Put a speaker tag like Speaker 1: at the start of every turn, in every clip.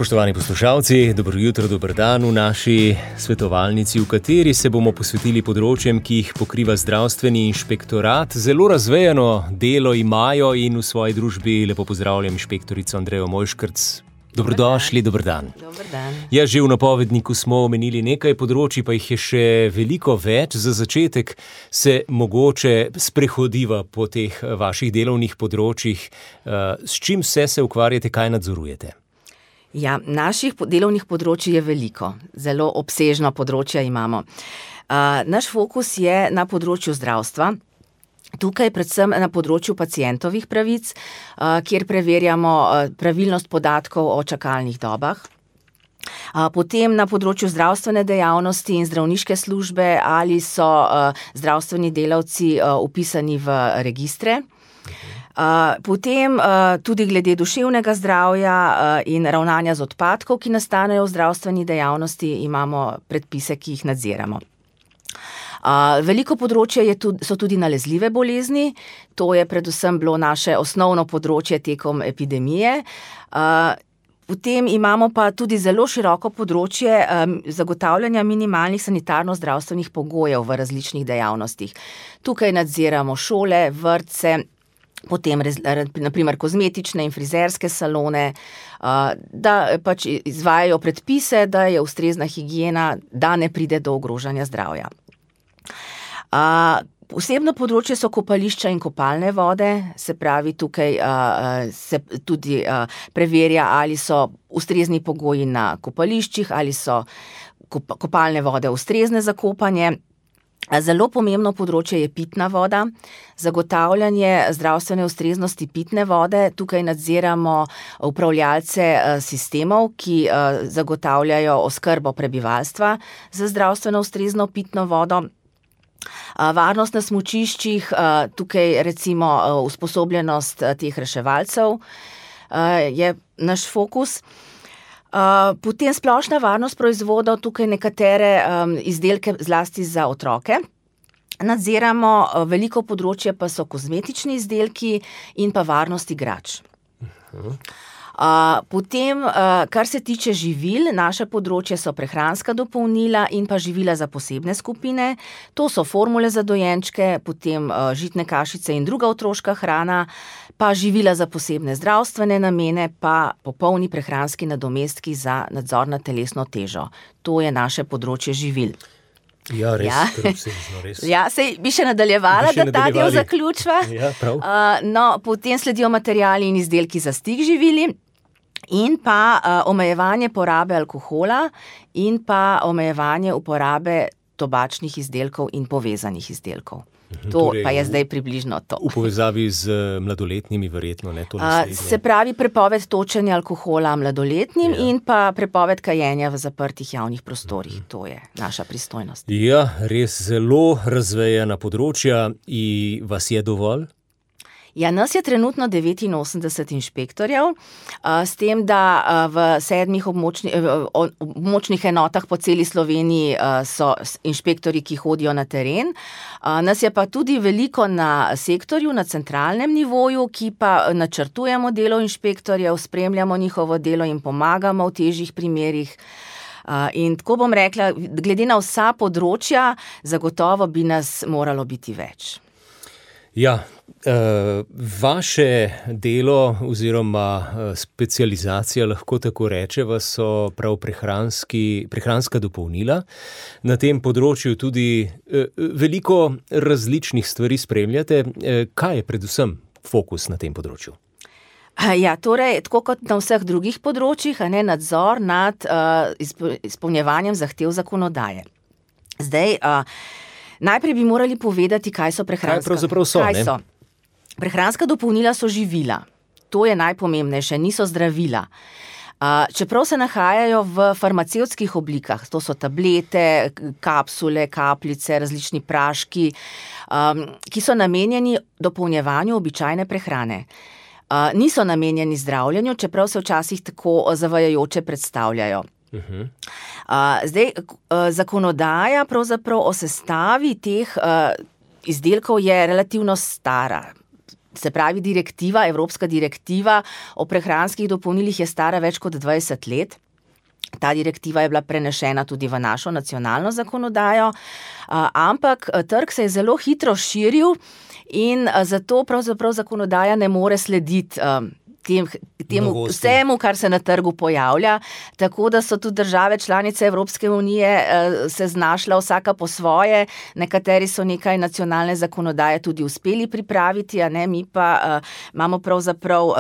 Speaker 1: Spoštovani poslušalci, dobro jutro, dober dan v naši svetovalnici, v kateri se bomo posvetili področjem, ki jih pokriva zdravstveni inšpektorat. Zelo razvejano delo imajo in v svoji družbi lepo pozdravljam inšpektorico Andrejo Mojškrc. Dobrodošli, dober dan.
Speaker 2: Dober dan.
Speaker 1: Ja, že v napovedniku smo omenili nekaj področji, pa jih je še veliko več. Za začetek se mogoče sprehodiva po teh vaših delovnih področjih. S čim vse se ukvarjate, kaj nadzorujete?
Speaker 2: Ja, naših delovnih področij je veliko, zelo obsežno področje imamo. Naš fokus je na področju zdravstva, tukaj predvsem na področju pacientovih pravic, kjer preverjamo pravilnost podatkov o čakalnih dobah. Potem na področju zdravstvene dejavnosti in zdravniške službe, ali so zdravstveni delavci vpisani v registre. Potem tudi glede duševnega zdravja in ravnanja z odpadkov, ki nastanejo v zdravstveni dejavnosti, imamo predpise, ki jih nadziramo. Veliko področje so tudi nalezljive bolezni, to je predvsem bilo naše osnovno področje tekom epidemije. Potem imamo pa tudi zelo široko področje zagotavljanja minimalnih sanitarno-zdravstvenih pogojev v različnih dejavnostih. Tukaj nadziramo šole, vrtce, potem naprimer kozmetične in frizerske salone, da pač izvajajo predpise, da je ustrezna higiena, da ne pride do ogrožanja zdravja. Posebno področje so kopališča in kopalne vode, se pravi tukaj se tudi preverja, ali so ustrezni pogoji na kopališčih, ali so kopalne vode ustrezne za kopanje. Zelo pomembno področje je pitna voda, zagotavljanje zdravstvene ustreznosti pitne vode. Tukaj nadziramo upravljalce sistemov, ki zagotavljajo oskrbo prebivalstva z zdravstveno ustrezno pitno vodo. Varnost na smučiščih, tukaj recimo usposobljenost teh reševalcev je naš fokus. Potem splošna varnost proizvodov, tukaj nekatere izdelke zlasti za otroke. Nadziramo, veliko področje pa so kozmetični izdelki in pa varnost igrač. Potem, kar se tiče živil, naše področje so prehranska dopolnila in pa živila za posebne skupine. To so formule za dojenčke, potem žitne kašice in druga otroška hrana, pa živila za posebne zdravstvene namene, pa popolni prehranski nadomestki za nadzor nad telesno težo. To je naše področje živil.
Speaker 1: Ja, res, obsežno, res.
Speaker 2: Ja, sej bi še nadaljevala, da ta del zaključva.
Speaker 1: Ja, prav.
Speaker 2: Potem sledijo materiali in izdelki za stik živili in pa omejevanje porabe alkohola in pa omejevanje uporabe tobačnih izdelkov in povezanih izdelkov. To torej, pa je zdaj približno to.
Speaker 1: V povezavi z mladoletnimi verjetno, ne? To
Speaker 2: se pravi prepoved točenja alkohola mladoletnim in pa prepoved kajenja v zaprtih javnih prostorih. To je naša pristojnost.
Speaker 1: Ja, res zelo razvejana področja in vas je dovolj?
Speaker 2: Ja, nas je trenutno 89 inšpektorjev, s tem, da v 7 območnih enotah po celi Sloveniji so inšpektorji, ki hodijo na teren. Nas je pa tudi veliko na sektorju, na centralnem nivoju, ki pa načrtujemo delo inšpektorjev, spremljamo njihovo delo in pomagamo v težjih primerih. In tako bom rekla, glede na vsa področja, zagotovo bi nas moralo biti več.
Speaker 1: Ja, vaše delo oziroma specializacija, lahko tako rečeva, so prav prehranska dopolnila. Na tem področju tudi veliko različnih stvari spremljate. Kaj je predvsem fokus na tem področju?
Speaker 2: Ja, torej, tako kot na vseh drugih področjih, nadzor nad izpolnjevanjem zahtev zakonodaje. Zdaj, najprej bi morali povedati, kaj so prehranska.
Speaker 1: Kaj pravzaprav so, ne?
Speaker 2: So? Prehranska dopolnila so živila. To je najpomembnejše, niso zdravila. Čeprav se nahajajo v farmacevtskih oblikah, to so tablete, kapsule, kapljice, različni praški, ki so namenjeni dopolnjevanju običajne prehrane. Niso namenjeni zdravljenju, čeprav se včasih tako zavajajoče predstavljajo. Zdaj, zakonodaja pravzaprav o sestavi teh izdelkov je relativno stara. Se pravi, evropska direktiva o prehranskih dopolnilih je stara več kot 20 let. Ta direktiva je bila prenešena tudi v našo nacionalno zakonodajo, ampak trg se je zelo hitro širil in zato pravzaprav zakonodaja ne more slediti temu vsemu, kar se na trgu pojavlja, tako da so tudi države članice Evropske unije se znašla vsaka po svoje, nekateri so nekaj nacionalne zakonodaje tudi uspeli pripraviti, mi pa imamo pravzaprav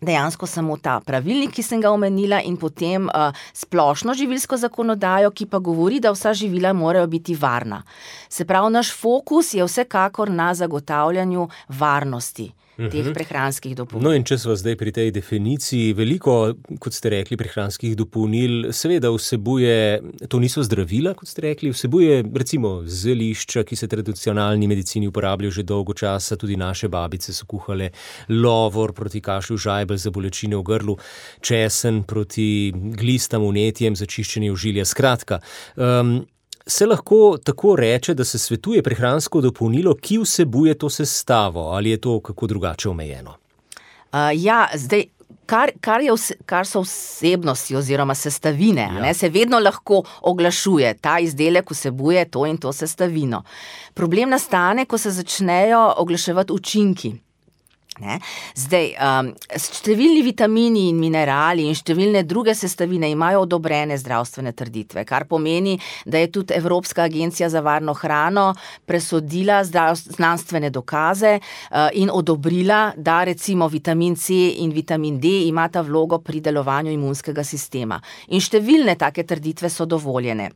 Speaker 2: dejansko samo ta pravilnik, ki sem ga omenila, in potem splošno živilsko zakonodajo, ki pa govori, da vsa živila morajo biti varna. Se pravi, naš fokus je vsekakor na zagotavljanju varnosti teh prehranskih dopolnil.
Speaker 1: No in če smo zdaj pri tej definiciji, veliko, kot ste rekli, prehranskih dopolnil seveda vsebuje, to niso zdravila, kot ste rekli, vsebuje recimo zelišča, ki se tradicionalni medicini uporabljajo že dolgo časa, tudi naše babice so kuhale lovor proti kašlju, žajbelj za bolečine v grlu, česen proti glistam, vnetjem za čiščenje ožilja. Skratka, se lahko tako reče, da se svetuje prehransko dopolnilo, ki vsebuje to sestavo, ali je to kako drugače omejeno?
Speaker 2: Zdaj, kar so vsebnosti oziroma sestavine, se vedno lahko oglašuje, ta izdelek vsebuje to in to sestavino. Problem nastane, ko se začnejo oglaševati učinki. Zdaj, številni vitamini in minerali in številne druge sestavine imajo odobrene zdravstvene trditve, kar pomeni, da je tudi Evropska agencija za varno hrano presodila znanstvene dokaze in odobrila, da recimo vitamin C in vitamin D imata vlogo pri delovanju imunskega sistema. In številne take trditve so dovoljene.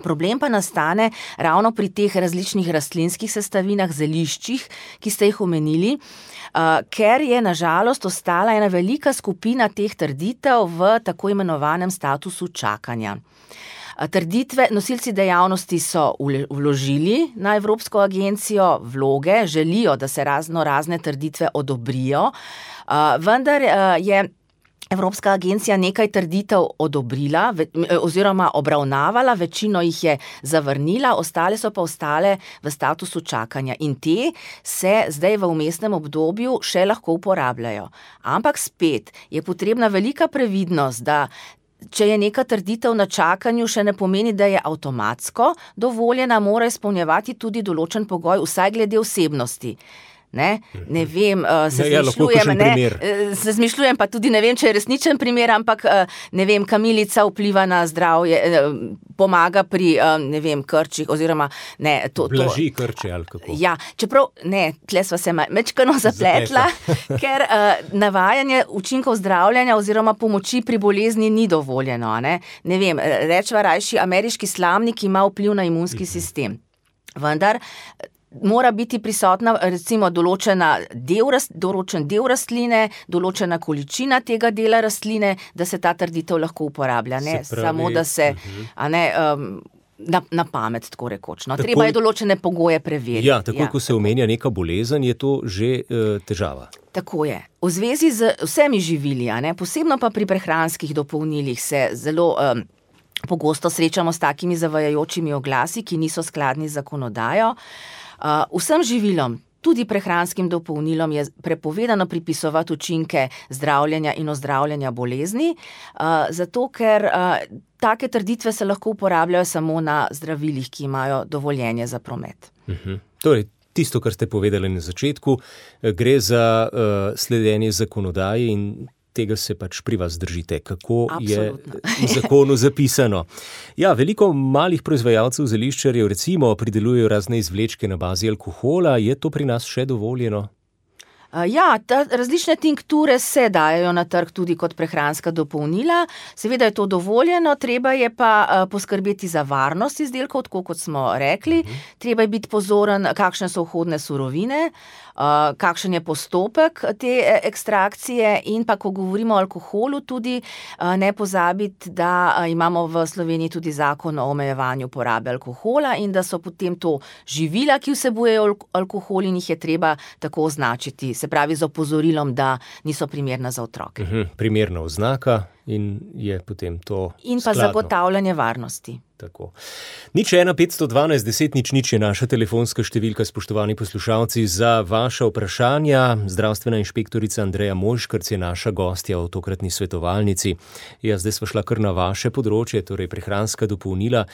Speaker 2: Problem pa nastane ravno pri teh različnih rastlinskih sestavinah, zeliščih, ki ste jih omenili, ker je na žalost ostala ena velika skupina teh trditev v tako imenovanem statusu čakanja. Trditve, nosilci dejavnosti so vložili na Evropsko agencijo vloge, želijo, da se razne trditve odobrijo, vendar je Evropska agencija nekaj trditev odobrila oziroma obravnavala, večino jih je zavrnila, ostale so pa ostale v statusu čakanja in te se zdaj v vmesnem obdobju še lahko uporabljajo. Ampak spet je potrebna velika previdnost, da če je neka trditev na čakanju, še ne pomeni, da je avtomatsko dovoljena, mora izpolnjevati tudi določen pogoj, vsaj glede vsebnosti. Ne vem, se zmišljujem, pa tudi ne vem, če je resničen primer, ampak ne vem, kamilica vpliva na zdravje, pomaga pri, ne vem, krčih, oziroma ne,
Speaker 1: blaži krče ali kako.
Speaker 2: Ja, čeprav, tle sva se mečkano zapletla, ker navajanje učinkov zdravljenja oziroma pomoči pri bolezni ni dovoljeno, ne vem, rečva rajši, ameriški slamnik ima vpliv na imunski sistem, vendar mora biti prisotna recimo določen del rastline, določena količina tega dela rastline, da se ta trditev lahko uporablja, samo da se, na pamet, tako rekoč. Treba je določene pogoje preveriti.
Speaker 1: Ja, takoj, ko se omenja neka bolezen, je to že težava.
Speaker 2: Tako je. V zvezi z vsemi živili, posebno pa pri prehranskih dopolnilih se zelo pogosto srečamo s takimi zavajajočimi oglasi, ki niso skladni z zakonodajo. Vsem živilom, tudi prehranskim dopolnilom, je prepovedano pripisovati učinke zdravljenja in ozdravljanja bolezni, zato ker take trditve se lahko uporabljajo samo na zdravilih, ki imajo dovoljenje za promet.
Speaker 1: Torej, tisto, kar ste povedali na začetku, gre za sledenje zakonodaji in tega se pač pri vas držite, kako
Speaker 2: Absolutno.
Speaker 1: Je v zakonu zapisano. Ja, veliko malih proizvajalcev zeliščarjev recimo pridelujejo razne izvlečke na bazi alkohola, je to pri nas še dovoljeno?
Speaker 2: Ja, različne tinkture se dajejo na trg tudi kot prehranska dopolnila. Seveda je to dovoljeno, treba je pa poskrbeti za varnost izdelkov, tako kot smo rekli. Treba je biti pozoren, kakšne so vhodne surovine, kakšen je postopek te ekstrakcije in pa, ko govorimo o alkoholu, tudi ne pozabiti, da imamo v Sloveniji tudi zakon o omejevanju porabe alkohola in da so potem to živila, ki vsebujejo alkohol in jih je treba tako označiti, se pravi z opozorilom, da niso primerna za otroke.
Speaker 1: Primerna oznaka in je potem to
Speaker 2: in pa
Speaker 1: skladno.
Speaker 2: zagotavljanje varnosti.
Speaker 1: Tako. 01512 je naša telefonska številka, spoštovani poslušalci, za vaša vprašanja. Zdravstvena inšpektorica Andreja Mojškerc je naša gostja v tokratni svetovalnici. Ja, zdaj sva šla kar na vaše področje, torej prehranska dopolnila.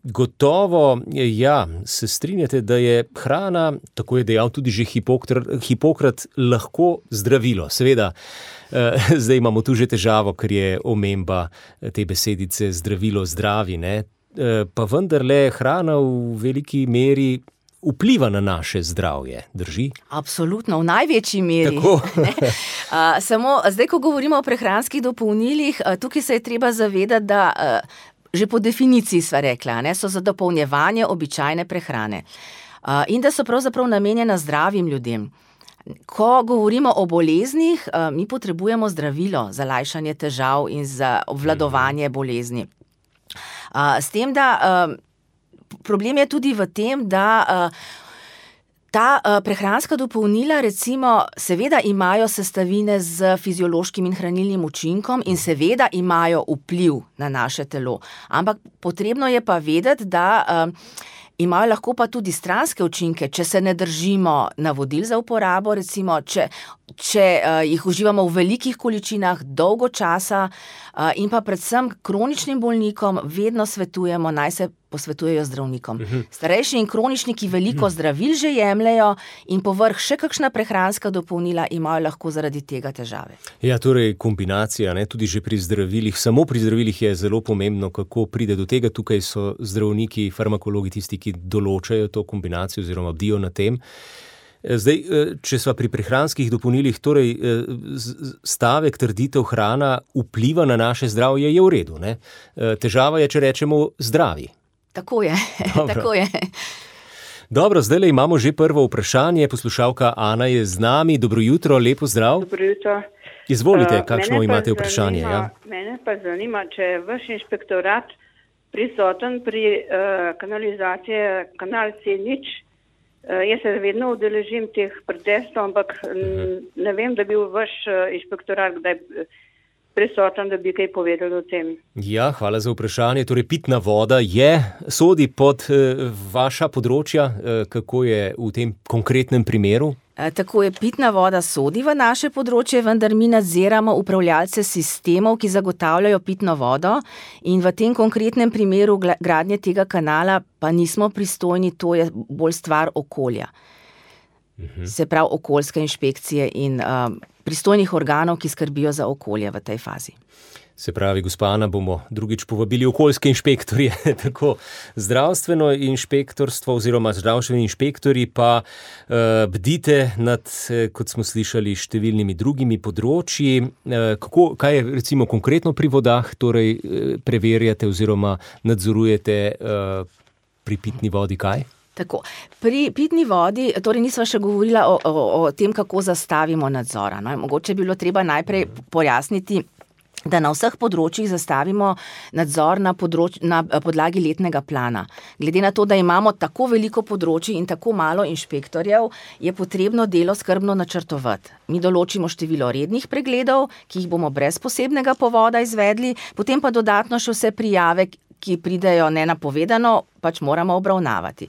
Speaker 1: Gotovo, ja, se strinjate, da je hrana, tako je dejal tudi že Hipokrat, lahko zdravilo. Seveda, zdaj imamo tu že težavo, ker je omemba te besedice zdravilo, zdravi, ne? Pa vendarle hrana v veliki meri vpliva na naše zdravje, drži?
Speaker 2: Absolutno, v največji meri.
Speaker 1: Tako.
Speaker 2: Samo zdaj, ko govorimo o prehranskih dopolnilih, tukaj se je treba zavedati, da že po definiciji sva rekla, ne, so za dopolnjevanje običajne prehrane. In da so pravzaprav namenjena zdravim ljudem. Ko govorimo o boleznih, mi potrebujemo zdravilo za lajšanje težav in za obvladovanje bolezni. S tem, da problem je tudi v tem, da ta prehranska dopolnila recimo seveda imajo sestavine z fiziološkim in hranilnim učinkom in seveda imajo vpliv na naše telo. Ampak potrebno je pa vedeti, da imajo lahko pa tudi stranske učinke, če se ne držimo navodil za uporabo, recimo, če jih uživamo v velikih količinah dolgo časa in pa predvsem kroničnim bolnikom vedno svetujemo, naj se posvetujejo zdravnikom. Starejši in kroničniki veliko zdravil že jemljejo in povrh še kakšna prehranska dopolnila imajo lahko zaradi tega težave.
Speaker 1: Ja, torej kombinacija, ne, tudi že pri zdravilih, samo pri zdravilih je zelo pomembno, kako pride do tega. Tukaj so zdravniki, farmakologi tisti, ki določajo to kombinacijo oziroma bdijo na tem. Zdaj, če sva pri prehranskih dopolnilih, torej stavek, trditev hrana vpliva na naše zdravje, je v redu, ne? Težava je, če rečemo zdravi.
Speaker 2: Tako je, tako je.
Speaker 1: Dobro, zdajle imamo že prvo vprašanje. Poslušalka Ana je z nami. Dobro jutro, lepo zdrav.
Speaker 3: Dobro jutro.
Speaker 1: Izvolite, kakšno imate vprašanje?
Speaker 3: Mene pa zanima, če je vaš inšpektorat prisoten pri kanalizaciji kanal C0. Jaz se vedno udeležim teh protestov, ampak ne vem, da bi bil vaš inšpektorat kdaj prisoten, da bi kaj povedali o tem.
Speaker 1: Ja, hvala za vprašanje. Torej, pitna voda sodi pod vaša področja. Kako je v tem konkretnem primeru?
Speaker 2: Tako je, pitna voda sodi v naše področje, vendar mi nadziramo upravljalce sistemov, ki zagotavljajo pitno vodo in v tem konkretnem primeru gradnje tega kanala pa nismo pristojni, to je bolj stvar okolja. Se pravi okoljske inšpekcije in pristojnih organov, ki skrbijo za okolje v tej fazi.
Speaker 1: Se pravi, gospa Ana, bomo drugič povabili okoljske inšpektorje, tako zdravstveno inšpektorstvo oziroma zdravstveni inšpektori pa bdite nad, kot smo slišali, številnimi drugimi področji. Kaj je recimo konkretno pri vodah, torej preverjate oziroma nadzorujete pri pitni vodi kaj?
Speaker 2: Tako, pri pitni vodi, torej nisva še govorila o tem, kako zastavimo nadzora. No? Mogoče bi bilo treba najprej pojasniti, da na vseh področjih zastavimo nadzor na podlagi letnega plana. Glede na to, da imamo tako veliko področij in tako malo inšpektorjev, je potrebno delo skrbno načrtovati. Mi določimo število rednih pregledov, ki jih bomo brez posebnega povoda izvedli, potem pa dodatno še vse prijave, ki pridejo nenapovedano, pač moramo obravnavati.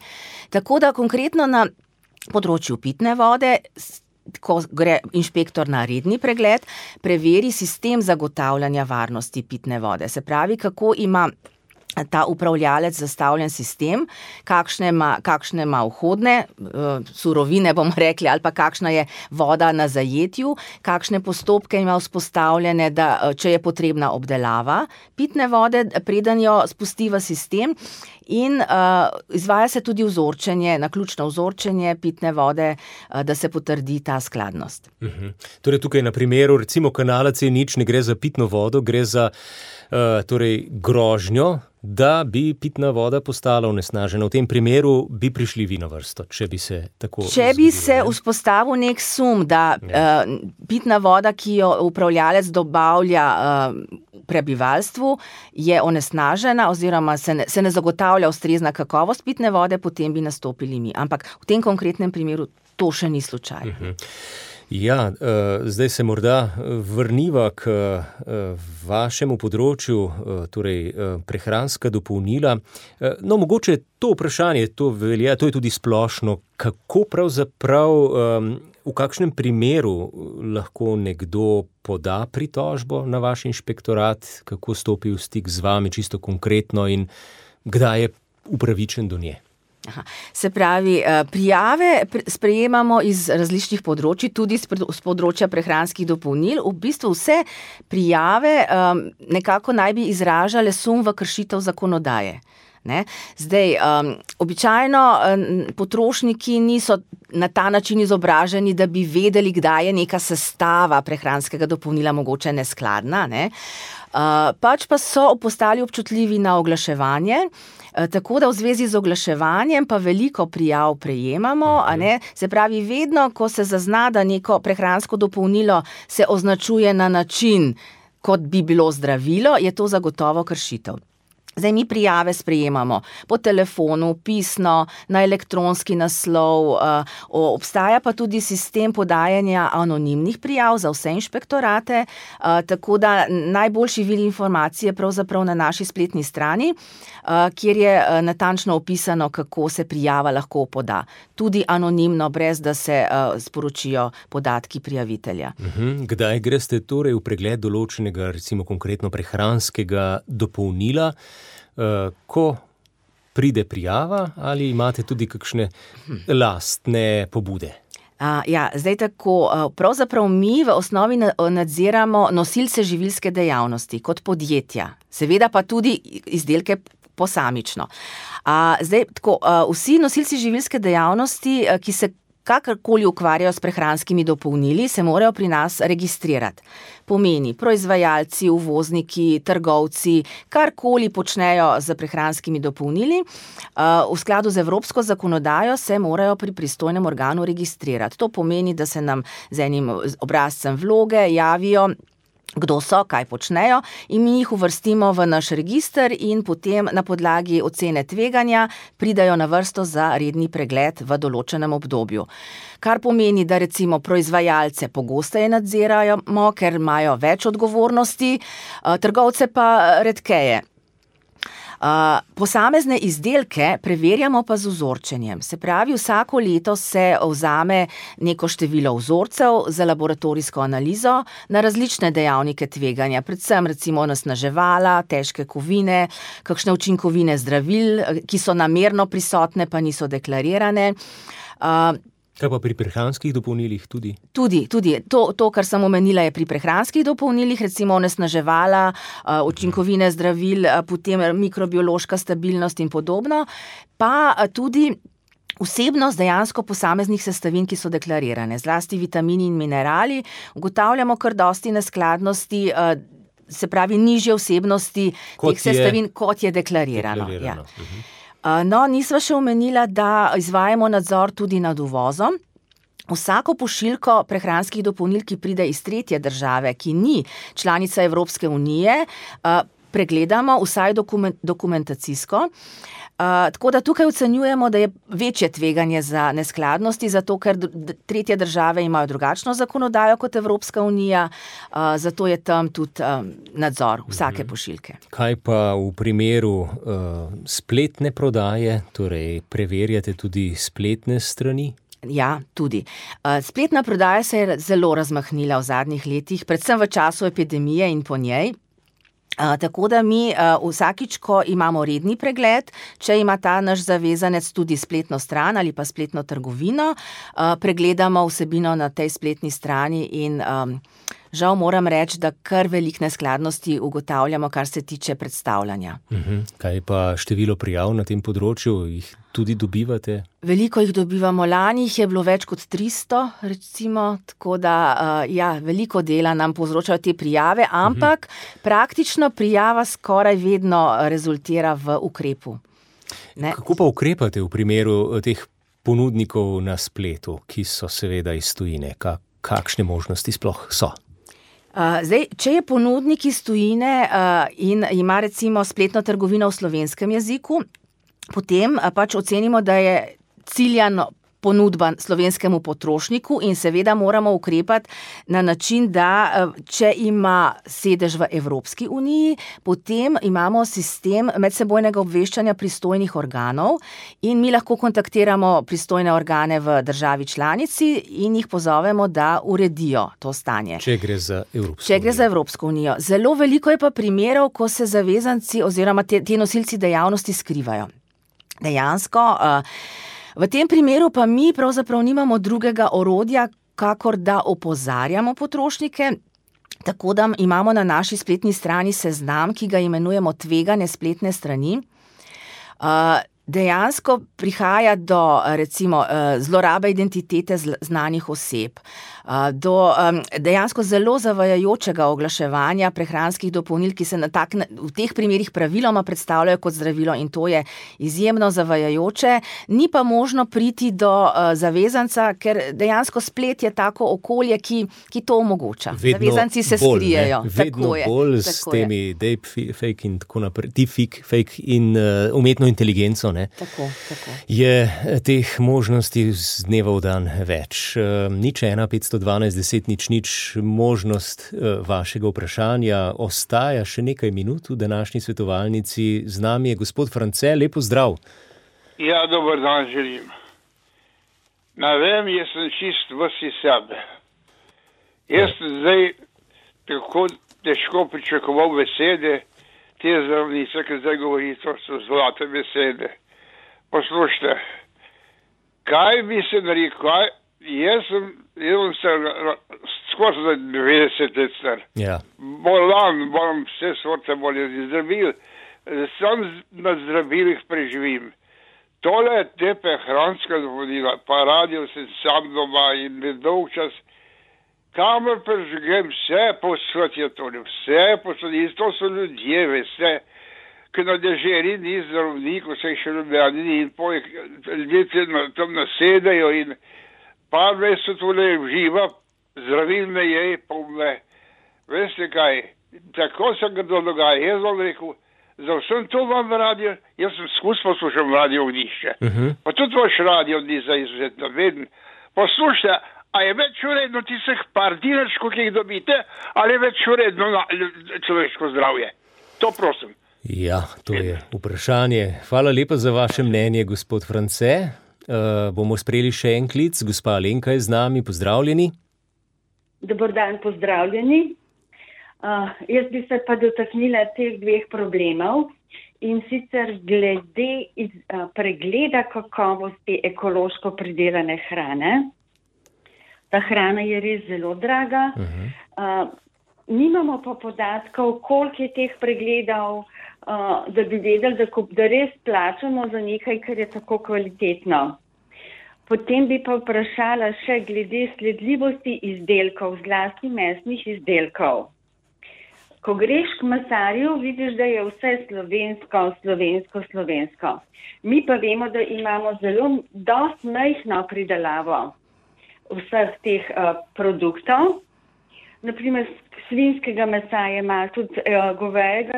Speaker 2: Tako da konkretno na področju pitne vode, ko gre inšpektor na redni pregled, preveri sistem zagotavljanja varnosti pitne vode. Se pravi, kako ima ta upravljalec zastavljen sistem, kakšne ima vhodne surovine, bomo rekli, ali pa kakšna je voda na zajetju, kakšne postopke ima vzpostavljene, da če je potrebna obdelava pitne vode, preden jo spusti v sistem. In izvaja se tudi vzorčenje, naključno vzorčenje pitne vode, da se potrdi ta skladnost.
Speaker 1: Torej tukaj na primeru recimo kanala C0 ne gre za pitno vodo, gre za grožnjo, da bi pitna voda postala onesnažena. V tem primeru bi prišli vi na vrsto, če bi se tako
Speaker 2: Če bi se vzpostavil nek sum, da pitna voda, ki jo upravljalec dobavlja prebivalstvu, je onesnažena oziroma se ne zagotavlja ustrezna kakovost pitne vode, potem bi nastopili mi. Ampak v tem konkretnem primeru to še ni slučaj.
Speaker 1: Ja, zdaj se morda vrniva k vašemu področju, torej prehranska dopolnila. No, mogoče to vprašanje, to je tudi splošno, kako pravzaprav, v kakšnem primeru lahko nekdo poda pritožbo na vaš inšpektorat, kako stopi v stik z vami čisto konkretno in kdaj je upravičen do nje?
Speaker 2: Aha. Se pravi, prijave sprejemamo iz različnih področji, tudi z področja prehranskih dopolnil. V bistvu vse prijave nekako naj bi izražale sum v kršitev zakonodaje. Ne? Zdaj, običajno potrošniki niso na ta način izobraženi, da bi vedeli, kdaj je neka sestava prehranskega dopolnila mogoče neskladna, ne? Pač pa so postali občutljivi na oglaševanje, tako da v zvezi z oglaševanjem pa veliko prijav prejemamo, a ne? Se pravi, vedno, ko se zazna, da neko prehransko dopolnilo se označuje na način, kot bi bilo zdravilo, je to zagotovo kršitev. Zdaj mi prijave sprejemamo po telefonu, pisno, na elektronski naslov, obstaja pa tudi sistem podajanja anonimnih prijav za vse inšpektorate, tako da najboljši vir informacije je pravzaprav na naši spletni strani, kjer je natančno opisano, kako se prijava lahko poda. Tudi anonimno, brez da se sporočijo podatki prijavitelja.
Speaker 1: Kdaj greste torej v pregled določenega, recimo konkretno prehranskega dopolnila, ko pride prijava, ali imate tudi kakšne lastne pobude?
Speaker 2: Ja, zdaj tako, pravzaprav mi v osnovi nadziramo nosilce živilske dejavnosti kot podjetja, seveda pa tudi izdelke posamično. Zdaj tako, vsi nosilci živilske dejavnosti, ki se kakorkoli ukvarjajo s prehranskimi dopolnili, se morajo pri nas registrirati. Pomeni, proizvajalci, uvozniki, trgovci, karkoli počnejo z prehranskimi dopolnili, v skladu z evropsko zakonodajo se morajo pri pristojnem organu registrirati. To pomeni, da se nam z enim obrazcem vloge javijo, kdo so, kaj počnejo, in mi jih uvrstimo v naš register in potem na podlagi ocene tveganja pridajo na vrsto za redni pregled v določenem obdobju. Kar pomeni, da recimo proizvajalce pogosteje nadziramo, ker imajo več odgovornosti, trgovce pa redkeje. Posamezne izdelke preverjamo pa z vzorčenjem. Se pravi, vsako leto se vzame neko število vzorcev za laboratorijsko analizo na različne dejavnike tveganja, predvsem recimo onesnaževala, težke kovine, kakšne učinkovine zdravil, ki so namerno prisotne, pa niso deklarirane.
Speaker 1: Kaj pa pri prehranskih dopolnilih tudi?
Speaker 2: Tudi. To, kar sem omenila, je pri prehranskih dopolnilih, recimo onesnaževala, učinkovine zdravil, potem mikrobiološka stabilnost in podobno, pa tudi vsebnost dejansko posameznih sestavin, ki so deklarirane, zlasti vitamini in minerali. Ugotavljamo kar dosti neskladnosti, se pravi nižje vsebnosti teh sestavin, kot je deklarirano. Ja. No, nisva še omenila, da izvajamo nadzor tudi nad uvozom. Vsako pošiljko prehranskih dopolnil, ki pride iz tretje države, ki ni članica Evropske unije, pregledamo vsaj dokumentacijsko. Tako da tukaj ocenjujemo, da je večje tveganje za neskladnosti, zato ker tretje države imajo drugačno zakonodajo kot Evropska unija, zato je tam tudi nadzor vsake pošiljke.
Speaker 1: Kaj pa v primeru spletne prodaje, torej preverjate tudi spletne strani?
Speaker 2: Ja, tudi. Spletna prodaja se je zelo razmahnila v zadnjih letih, predvsem v času epidemije in po njej. Tako da mi vsakič, ko imamo redni pregled, če ima ta naš zavezanec tudi spletno stran ali pa spletno trgovino, pregledamo vsebino na tej spletni strani in žal moram reči, da kar veliko neskladnosti ugotavljamo, kar se tiče predstavljanja.
Speaker 1: Kaj pa število prijav na tem področju, jih tudi dobivate?
Speaker 2: Veliko jih dobivamo, lani jih je bilo več kot 300, recimo, tako da veliko dela nam povzročajo te prijave, ampak praktično prijava skoraj vedno rezultira v ukrepu. Ne?
Speaker 1: Kako pa ukrepate v primeru teh ponudnikov na spletu, ki so seveda iz tujine? Kakšne možnosti sploh so?
Speaker 2: Zdaj, če je ponudnik iz tujine in ima recimo spletno trgovino v slovenskem jeziku, potem pač ocenimo, da je ciljano ponudba slovenskemu potrošniku in seveda moramo ukrepati na način, da če ima sedež v Evropski uniji, potem imamo sistem medsebojnega obveščanja pristojnih organov in mi lahko kontaktiramo pristojne organe v državi članici in jih pozovemo, da uredijo to stanje.
Speaker 1: Če gre za
Speaker 2: Evropsko unijo. Zelo veliko je pa primerov, ko se zavezanci oziroma ti nosilci dejavnosti skrivajo. Dejansko, v tem primeru pa mi pravzaprav nimamo drugega orodja, kakor da opozarjamo potrošnike, tako da imamo na naši spletni strani seznam, ki ga imenujemo tvegane spletne strani. Dejansko prihaja do, recimo, zlorabe identitete znanih oseb, do dejansko zelo zavajajočega oglaševanja prehranskih dopolnil, ki se v teh primerih praviloma predstavljajo kot zdravilo in to je izjemno zavajajoče. Ni pa možno priti do zavezanca, ker dejansko splet je tako okolje, ki to omogoča. Zavezanci se skrijejo.
Speaker 1: Vedno bolj s temi deepfake in tako naprej, deepfake in umetno inteligenco.
Speaker 2: Tako.
Speaker 1: Je teh možnosti z dneva v dan več. 015121000 možnost vašega vprašanja ostaja še nekaj minut v današnji svetovalnici. Z nami je gospod France, lepo zdrav.
Speaker 4: Ja, dober dan želim. Ne vem, jaz sem čist vsi sebe. Jaz sem zdaj tako težko pričakoval besede, te zdravnice, ki zdaj govori, to so zlate besede. Poslušajte, kaj bi se narekel, jaz sem se skozi 90 let star.
Speaker 1: Ja.
Speaker 4: Bolan, moram vse sorte bolezni zdravil, sam na zdravilih preživim. Tole je te prehranska navodila, pa radio sem sam doma in dolg čas, kamer preživim, vse posod je tole, vse posod, in to so ljudje, vse. Ki na deželi ni zdravnik, vse še ljubljani in ljudje tam nasedajo in par mesec tole živa, zdravil me je, pa me. Veste kaj, tako se ga dogaja. Jaz vam rekel, za vsem to vam radio, jaz sem skus poslušal radio Ognišče. Pa tudi vaš radio ni za izvedno veden. Poslušajte, a je več uredno tistih par dinarčkov, ki jih dobite, ali je več uredno človeško zdravje? To prosim.
Speaker 1: Ja, to je vprašanje. Hvala lepa za vaše mnenje, gospod France. Bomo sprejeli še en klic. Gospa Alenka je z nami. Pozdravljeni.
Speaker 5: Dober dan, pozdravljeni. Jaz bi se pa dotaknila teh dveh problemov in sicer glede pregleda kakovosti ekološko pridelane hrane. Ta hrana je res zelo draga. Nimamo pa podatkov, koliko je teh pregledov, da bi vedeli, da res plačamo za nekaj, kar je tako kvalitetno. Potem bi pa vprašala še glede sledljivosti izdelkov, zlasti mesnih izdelkov. Ko greš k mesarju, vidiš, da je vse slovensko. Mi pa vemo, da imamo zelo dosti majhno pridelavo vseh teh produktov. Naprimer, svinjskega mesa je malo, tudi govejega,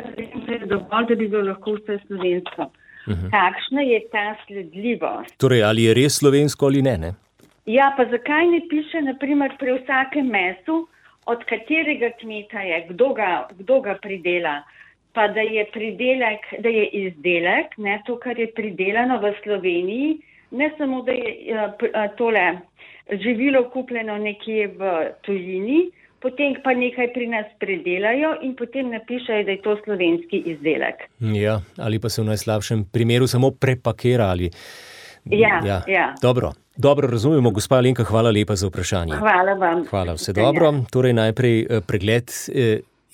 Speaker 5: dovolj, da bi bilo lahko vse slovensko. Kakšna je ta sledljivost?
Speaker 1: Torej, ali je res slovensko ali ne?
Speaker 5: Ja, pa zakaj ne piše, naprimer, pri vsakem mesu, od katerega kmeta je, kdo ga pridela, pa da je izdelek, ne, to, kar je pridelano v Sloveniji, ne samo, da je tole živilo kupljeno nekje v tujini, potem pa nekaj pri nas predelajo in potem napišejo, da je to slovenski izdelek.
Speaker 1: Ja, ali pa se v najslabšem primeru samo prepakirali.
Speaker 5: Ja.
Speaker 1: Dobro razumemo, gospa Alenka, hvala lepa za vprašanje.
Speaker 5: Hvala vam.
Speaker 1: Hvala, vse dobro. Torej najprej pregled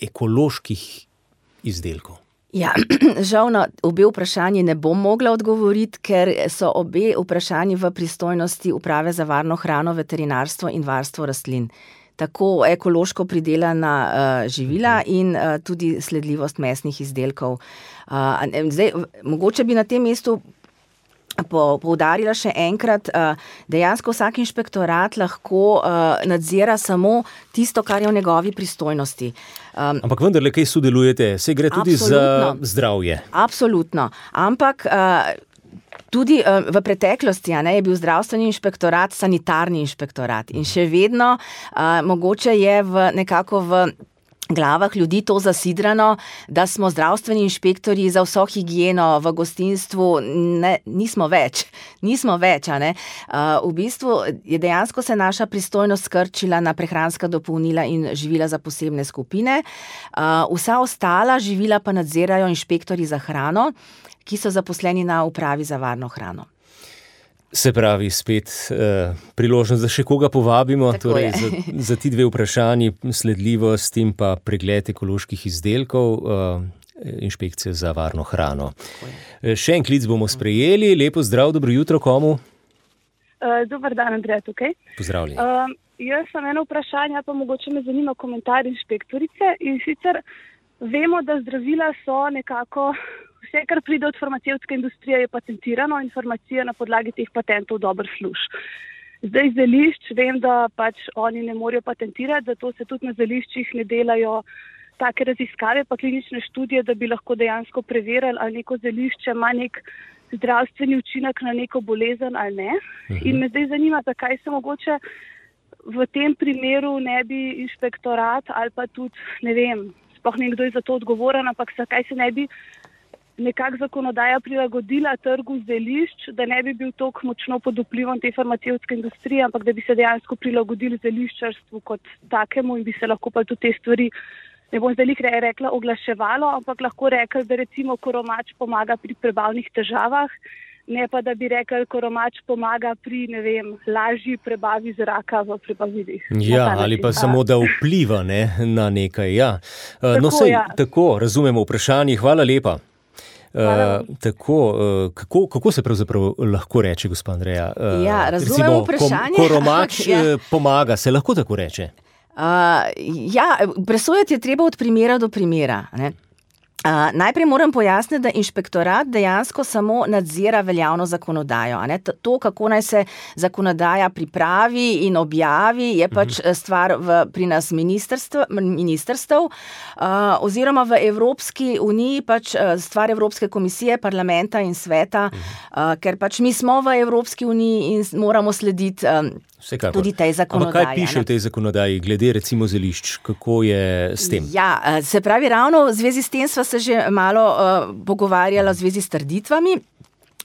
Speaker 1: ekoloških izdelkov.
Speaker 2: Ja, žal na obe vprašanji ne bom mogla odgovoriti, ker so obe vprašanji v pristojnosti Uprave za varno hrano, veterinarstvo in varstvo rastlin. Tako ekološko pridelana živila in tudi sledljivost mesnih izdelkov. Zdaj, mogoče bi na tem mestu poudarila še enkrat, dejansko vsak inšpektorat lahko nadzira samo tisto, kar je v njegovi pristojnosti.
Speaker 1: Ampak vendarle, kaj sodelujete? Se gre tudi za zdravje?
Speaker 2: Absolutno. Ampak Tudi v preteklosti je bil zdravstveni inšpektorat sanitarni inšpektorat in še vedno mogoče je nekako v glavah ljudi to zasidrano, da smo zdravstveni inšpektorji za vso higieno v gostinstvu, nismo več, V bistvu je dejansko se naša pristojnost skrčila na prehranska dopolnila in živila za posebne skupine. Vsa ostala živila pa nadzirajo inšpektorji za hrano, ki so zaposleni na upravi za varno hrano.
Speaker 1: Se pravi, spet priložnost, da še koga povabimo, torej za ti dve vprašanji, sledljivost in pa pregled ekoloških izdelkov, inšpekcija za varno hrano. Še en klic bomo sprejeli. Lepo zdrav, dobro jutro komu?
Speaker 6: Dobar dan, Andreja tukaj.
Speaker 1: Pozdravljeni.
Speaker 6: Jaz sem eno vprašanje, pa mogoče me zanima komentar inšpektorice, in sicer vemo, da zdravila so nekako vse, kar pride od farmacevtske industrije, je patentirano in farmacija na podlagi teh patentov dobro služi. Zdaj zelišč, vem, da oni ne morejo patentirati, zato se tudi na zeliščih ne delajo take raziskave pa klinične študije, da bi lahko dejansko preverili, ali neko zelišče ima nek zdravstveni učinek na neko bolezen ali ne. In me zdaj zanima, zakaj se mogoče v tem primeru ne bi inšpektorat ali pa tudi, ne vem, sploh nekdo je za to odgovoren, ampak zakaj se ne bi nekako zakonodaja prilagodila trgu zelišč, da ne bi bil toliko močno pod vplivom te farmacevtske industrije, ampak da bi se dejansko prilagodili zeliščarstvu kot takemu in bi se lahko pa tudi te stvari, ne bom zdaj rekla oglaševalo, ampak lahko rekli, da recimo koromač pomaga pri prebavnih težavah, ne pa da bi rekli, koromač pomaga pri, ne vem, lažji prebavi zraka v prebavilih.
Speaker 1: Ja, ali pa samo da vpliva na nekaj. Ja. Tako, razumemo vprašanje. Hvala lepa. Kako se pravzaprav lahko reče, gospa Andreja?
Speaker 2: Razumemo vprašanje.
Speaker 1: Koromač pomaga, se lahko tako reče?
Speaker 2: Presojati je treba od primera do primera. Najprej moram pojasniti, da inšpektorat dejansko samo nadzira veljavno zakonodajo. To, kako naj se zakonodaja pripravi in objavi, je stvar pri nas ministrstev, oziroma v Evropski uniji stvar Evropske komisije, parlamenta in sveta, ker mi smo v Evropski uniji in moramo slediti tudi tej zakonodaji.
Speaker 1: Ampak kaj piše v tej zakonodaji, glede recimo zelišč? Kako je s tem?
Speaker 2: Se pravi, ravno v zvezi s tem sva se že malo pogovarjala v zvezi s trditvami.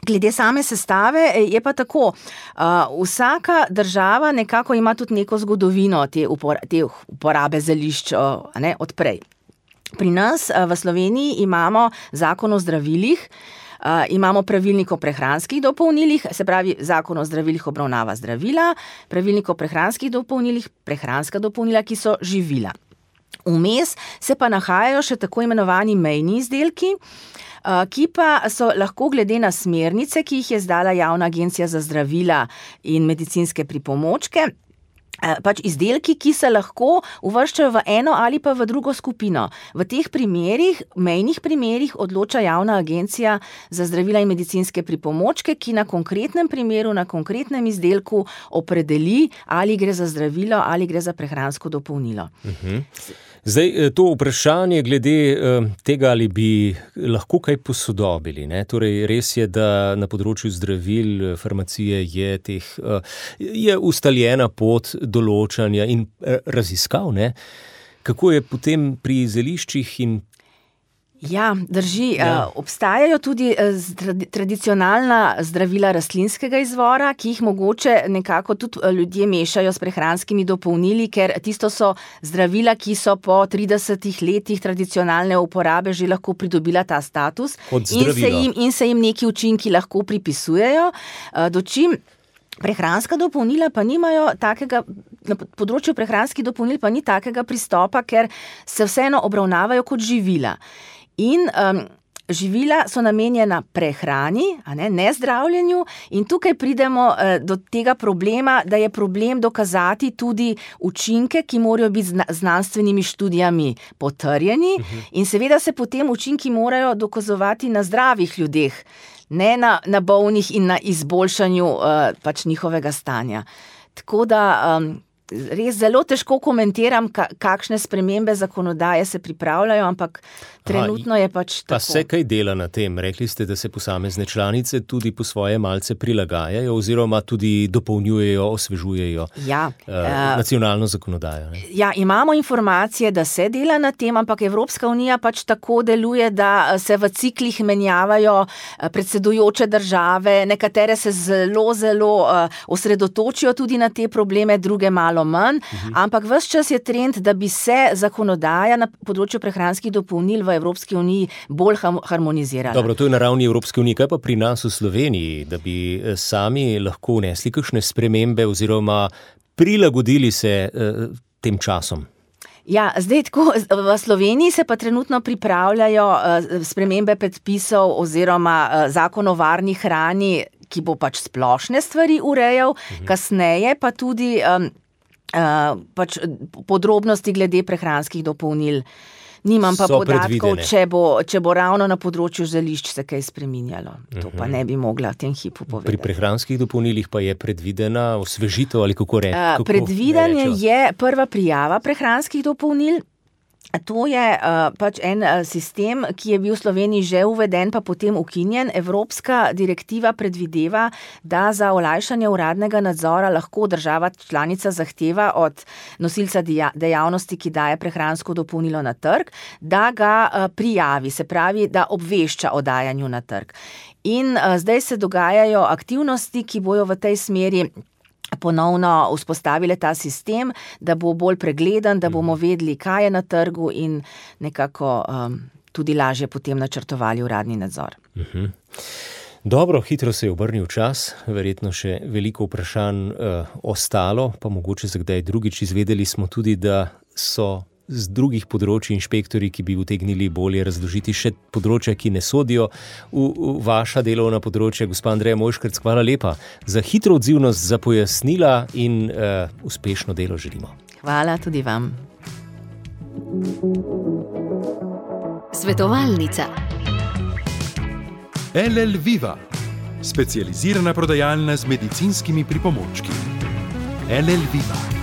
Speaker 2: Glede same sestave je pa tako. Vsaka država nekako ima tudi neko zgodovino te uporabe zelišč odprej. Pri nas v Sloveniji imamo zakon o zdravilih, imamo pravilnik o prehranskih dopolnilih, se pravi, zakon o zdravilih obravnava zdravila, pravilnik o prehranskih dopolnilih, prehranska dopolnila, ki so živila. Vmes se pa nahajajo še tako imenovani mejni izdelki, ki pa so lahko glede na smernice, ki jih je izdala Javna agencija za zdravila in medicinske pripomočke, izdelki, ki se lahko uvrščajo v eno ali pa v drugo skupino. V teh primerih, mejnih primerih, odloča Javna agencija za zdravila in medicinske pripomočke, ki na konkretnem primeru, na konkretnem izdelku opredeli, ali gre za zdravilo ali gre za prehransko dopolnilo.
Speaker 1: Zdaj, to vprašanje glede tega, ali bi lahko kaj posodobili. Torej, res je, da na področju zdravil, farmacije je ustaljena pot določanja in raziskav. Kako je potem pri zeliščih in
Speaker 2: drži. Obstajajo tudi tradicionalna zdravila rastlinskega izvora, ki jih mogoče nekako tudi ljudje mešajo s prehranskimi dopolnili, ker tisto so zdravila, ki so po 30 letih tradicionalne uporabe že lahko pridobila ta status in se jim neki učinki lahko pripisujejo. Dočim prehranska dopolnila pa nimajo takega, na področju prehranskih dopolnil pa ni takega pristopa, ker se vseeno obravnavajo kot živila. In živila so namenjena prehrani, ne zdravljenju, in tukaj pridemo do tega problema, da je problem dokazati tudi učinke, ki morajo biti znanstvenimi študijami potrjeni, in seveda se potem učinki morajo dokazovati na zdravih ljudeh, ne na bolnih in na izboljšanju njihovega stanja. Tako da res zelo težko komentiram, kakšne spremembe zakonodaje se pripravljajo, ampak trenutno je pač tako.
Speaker 1: Pa se kaj dela na tem? Rekli ste, da se posamezne članice tudi po svoje malce prilagajajo oziroma tudi dopolnjujejo, osvežujejo nacionalno zakonodajo. Ne?
Speaker 2: Ja, imamo informacije, da se dela na tem, ampak Evropska unija pač tako deluje, da se v ciklih menjavajo predsedujoče države, nekatere se zelo osredotočijo tudi na te probleme, druge malo manj, ampak ves čas je trend, da bi se zakonodaja na področju prehranskih dopolnil v Evropski uniji bolj harmonizirala.
Speaker 1: Dobro, to je na ravni Evropske unije. Kaj pa pri nas v Sloveniji, da bi sami lahko vnesli kakšne spremembe oziroma prilagodili se tem časom?
Speaker 2: Ja, zdaj tako, v Sloveniji se pa trenutno pripravljajo spremembe predpisov oziroma zakon o varni hrani, ki bo pač splošne stvari urejal, kasneje pa tudi pač podrobnosti glede prehranskih dopolnil. Nimam pa podatkov, če bo ravno na področju zelišč se kaj spreminjalo. To pa ne bi mogla v tem hipu povedati.
Speaker 1: Pri prehranskih dopolnilih pa je predvidena osvežitev ali kako reči?
Speaker 2: Predvidena je prva prijava prehranskih dopolnil. To je pač en sistem, ki je bil v Sloveniji že uveden, pa potem ukinjen. Evropska direktiva predvideva, da za olajšanje uradnega nadzora lahko država članica zahteva od nosilca dejavnosti, ki daje prehransko dopolnilo na trg, da ga prijavi, se pravi, da obvešča o dajanju na trg. In zdaj se dogajajo aktivnosti, ki bojo v tej smeri ponovno vzpostavile ta sistem, da bo bolj pregleden, da bomo vedeli, kaj je na trgu in nekako tudi lažje potem načrtovali uradni nadzor.
Speaker 1: Dobro, hitro se je obrnil čas, verjetno še veliko vprašanj ostalo, pa mogoče za kdaj drugič. Izvedeli smo tudi, da so z drugih področij inšpektorji, ki bi utegnili bolje razložiti še področja, ki ne sodijo v vaša delovna področja. Gospa Andreja Mojškerc, hvala lepa za hitro odzivnost, za pojasnila in uspešno delo želimo.
Speaker 2: Hvala tudi vam.
Speaker 7: Svetovalnica.
Speaker 8: LL Viva, specializirana prodajalna z medicinskimi pripomočki. LL Viva.